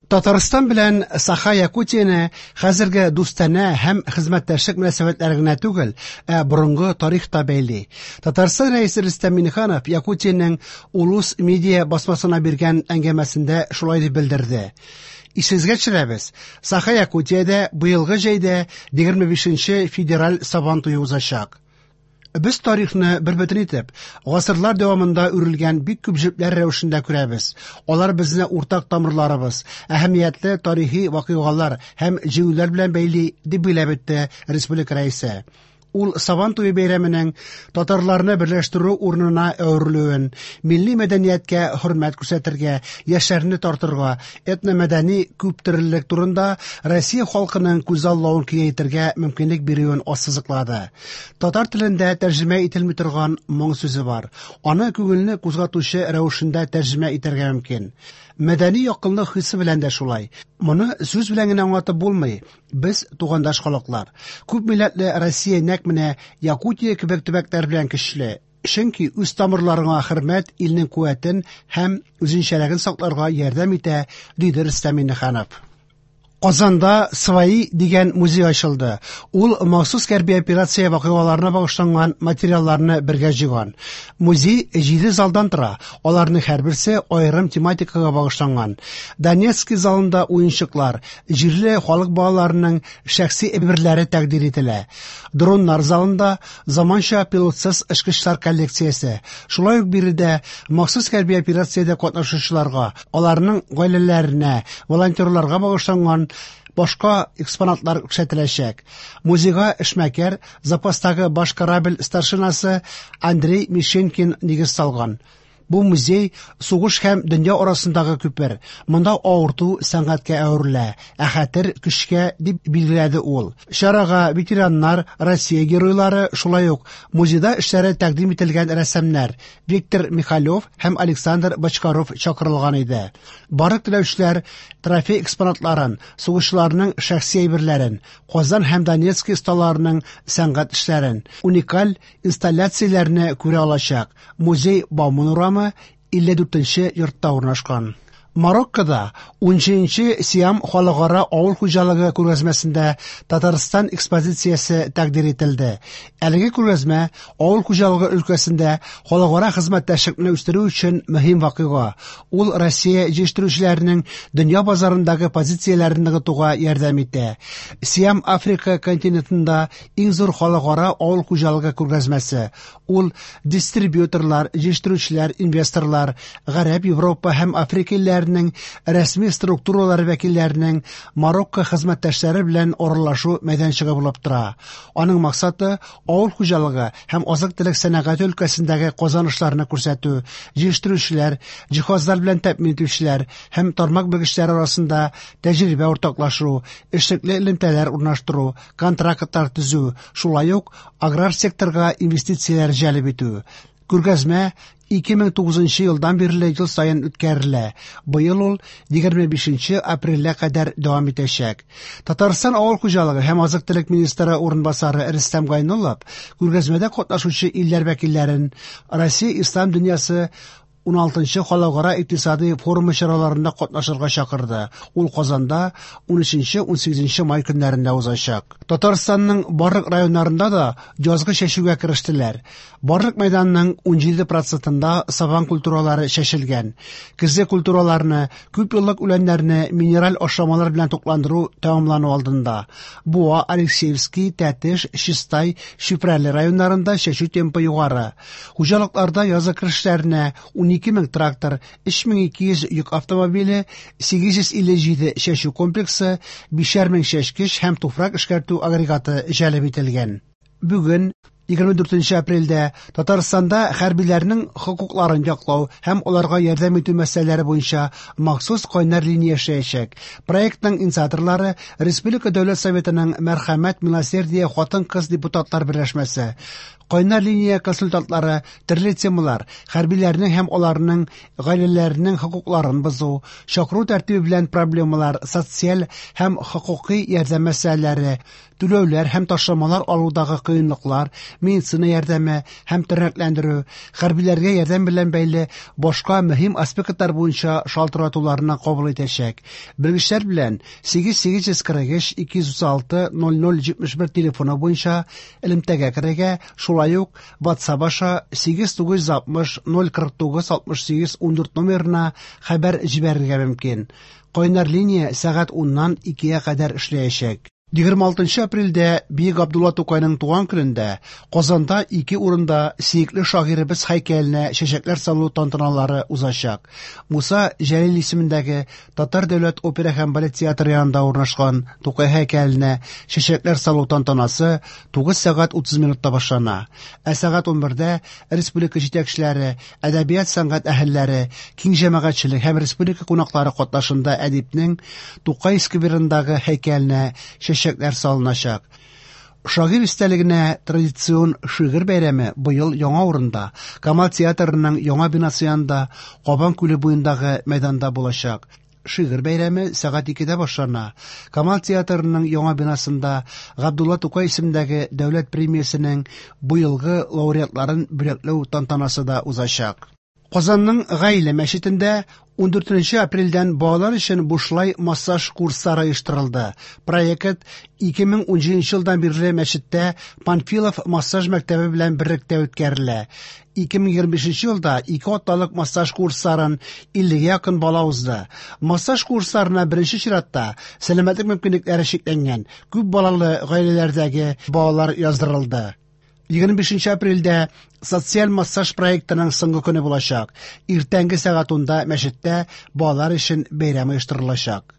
Татарстан белән Саха-Якутияне хәзерге дустанә һәм хезмәттәшлек мөнәсәбәтләре генә түгел, ә борынгы тарих та бәйли. Татарстан Рәисе Рөстәм Миңнеханов Якутиянең Улус медиа басмасына биргән әңгәмәсендә шулай дип белдерде. Исегезгә төшерәбез, Саха-Якутиядә быелгы җәйдә 25 нче федераль Сабан туе узачак. Без тарихны бер бөтен итеп, гасырлар дәвамында үрелгән бик күп җепләр рәвешендә күрәбез. Алар безне уртак тамырларыбыз, әһәмиятле тарихи вакыйгалар һәм җиңүләр белән бәйли, дип билгеләп үтте республика Рәисе. Ул Сабан туе бәйрәменең татарларны берләштерү урынына әверелүен, милли мәдәнияткә хөрмәт күрсәтергә, яшьләрне тартырга, этномәдәни күптөрлелек турында Россия халкының күзаллавын киңәйтергә мөмкинлек бирүен ассызыклады. Татар телендә тәрҗемә ителми торган моң сүзе бар. Аны күңелне кузгатучы рәвешендә тәрҗемә итәргә мөмкин. Мәдәни якынлык хисе белән дә шулай. Моны сүз белән генә аңлатып булмый. Без тугандаш халыклар. Күп милләтле Россия нәкъ менә Якутия кебек төбәкләр белән көчле. Чөнки үз тамырларыңа хөрмәт илнең куәтен һәм үзенчәлеген сакларга ярдәм итә, диде Рөстәм Миңнеханов. Казанда «Свои» дигән музей ачылды. Ул махсус хәрби операция вакыйгаларына багышланган материалларны бергә җыйган. Музей җиде залдан тора, аларның һәрберсе аерым тематикага багышланган. Донецкий залында уенчыклар, җирле халык балаларының шәхси әйберләре тәкъдир ителә. Дроннар залында заманча пилотсыз очкычлар коллекциясе. Шулай ук биредә махсус хәрби операциядә катнашучыларга, аларның гаиләләренә, волонтерларга багышланган башка экспонатлар күрсәтеләчәк. Музейга эшмәкәр, запастагы баш корабль старшинасы Андрей Мишенкин нигез салган. Бу музей сугыш һәм дөнья арасындагы күпер. Монда авырту сәнгатькә әверелә, ә хәтер көчкә, дип билгеләде ул. Чарага ветераннар, Россия геройлары, шулай ук музейда эшләре тәкъдим ителгән рәссамнар Виктор Михалев һәм Александр Бочкаров чакырылган иде. Барлык теләүчеләр трофей экспонатларын, сугышчыларның шәхси әйберләрен, Казан һәм Донецк осталарының сәнгать эшләрен, уникаль инсталляцияләрне күрә алачак. Музей Бауман урамы 54 нче йортта урнашкан. Мароккода 17нче Сиам халыкара авыл хуҗалыгы күргәзмәсендә Татарстан экспозициясе тәкъдир ителде. Әлеге күргәзмә авыл хуҗалыгы өлкәсендә халыкара хезмәттәшлекне үстерү өчен мөһим вакыйга. Ул Россия җитештерүчеләренең дөнья базарындагы позицияләрен ныгытуга ярдәм итә. Сиам Африка континентында иң зур халыкара авыл хуҗалыгы күргәзмәсе. Ул дистрибьюторлар, җитештерүчеләр, инвесторлар, Гарәп, Европа һәм Африка илләренең рәсми структуралары вәкилләренең Марокко хезмәттәшләре белән аралашу мәйданчыгы булып тора. Аның максаты авыл хуҗалыгы һәм азык-төлек сәнәгате өлкәсендәге казанышларны күрсәтү, җитештерүчеләр, җиһазлар белән тәэмин итүчеләр һәм тармак белгечләре арасында тәҗрибә уртаклашу, эшлекле элемтәләр урнаштыру, контрактлар төзү, шулай ук аграр секторга инвестицияләр җәлеп итү. Күргәзмә 2009 елдан бирле ел саен үткәрелә. Быел ул 25 апрельгә кадәр дәвам итәчәк. Татарстан авыл хуҗалыгы һәм азык-төлек министры урынбасары Рөстәм Гайнуллов күргәзмәдә катнашучы илләр вәкилләрен Россия ислам дөньясы 16нчы халыкара икътисади форумы чараларында катнашырга чакырды. Ул Казанда 13-18 май көннәрендә узачак. Татарстанның барлык районнарында да язгы чәчүгә керештеләр. Барлык мәйданның 17 процентында сабан культуралары чәчелгән. Көзге культураларны, күпьеллык үләннәрне минераль ашламалар белән тукландыру тәмамлану алдында. Буа, Алексеевский, Тәтеш, Чистай, Чүпрәле районнарында чәчү темпы югары. Хуҗалыкларда язгы керешләренә 12 мең трактор, 3200 йөк автомобиле, 857 чәчү комплексы, 5 мең чәчкеч һәм туфрак эшкәртү агрегаты җәлеп ителгән. Бүген, 24 апрельдә, Татарстанда хәрбиләрнең хокукларын яклау һәм аларга ярдәм итү мәсьәләләре буенча махсус кайнар линия эшләячәк. Проектның инициаторлары Республика Дәүләт Советының Мәрхәмәт Милосердие хатын-кыз депутатлар берләшмәсе. Кайнар линия консультантлары төрле темалар, хәрбиләрнең һәм аларның гаиләләренең хокукларын бозу, чакыру тәртибе белән проблемалар, социаль һәм хокукый ярдәм мәсьәләләре, түләүләр һәм ташламалар алудагы кыенлыклар, медицина ярдәме һәм тернәкләндерү, хәрбиләргә ярдәм белән бәйле башка мөһим аспектлар буенча шалтыратуларны кабул итәчәк. Белгечләр белән 8843 236 0071 телефоны буенча элемтәгә керергә, шулай ук WhatsApp аша 8960 049 68 14 номерына хәбәр җибәрергә мөмкин. Кайнар линия сәгать 10-нан 2-гә кадәр эшләячәк. 26 апрельдә Бөек Габдулла Тукайның туган көнендә Казанда ике урында сөекле шагыйребез һәйкәленә чәчәкләр салу тантаналары узачак. Муса Җәлил исемендәге Татар дәүләт опера һәм балет театры янында урнашкан Тукай һәйкәленә чәчәкләр салу тантанасы 9 сәгать 30 минутта башлана. Ә сәгать 11-дә республика җитәкчеләре, әдәбият сәнгать әһелләре, киң җәмәгатьчелек һәм республика кунаклары катнашында әдипнең Тукай скверындагы һәйкәленә чәчәкләр салыначак. Шагыйрь истәлегенә традицион шигырь бәйрәме быел яңа урында, Камал театрының яңа бинасы янында, Кабан күле буендагы мәйданда булачак. Шигырь бәйрәме сәгать 2-дә башлана. Камал театрының яңа бинасында Габдулла Тукай исемендәге дәүләт премиясенең быелгы лауреатларын бүләкләү тантанасы да узачак. Казанның Гаилә мәчетендә 14 апрельдән балалар өчен бушлай массаж курслары оештырылды. Проект 2017 елдан бирле мәчеттә Панфилов массаж мәктәбе белән берлектә үткәрелә. 2025 елда ике атналык массаж курсларын 50 якын бала узды. Массаж курсларына беренче чиратта сәламәтлек мөмкинлекләре чикләнгән күп балалы гаиләләрдәге балалар яздырылды. 25 апрельдә социаль массаж проектының соңгы көне булачак. Иртәнге сәгать 10-да мәчеттә балалар өчен бәйрәм оештырылачак.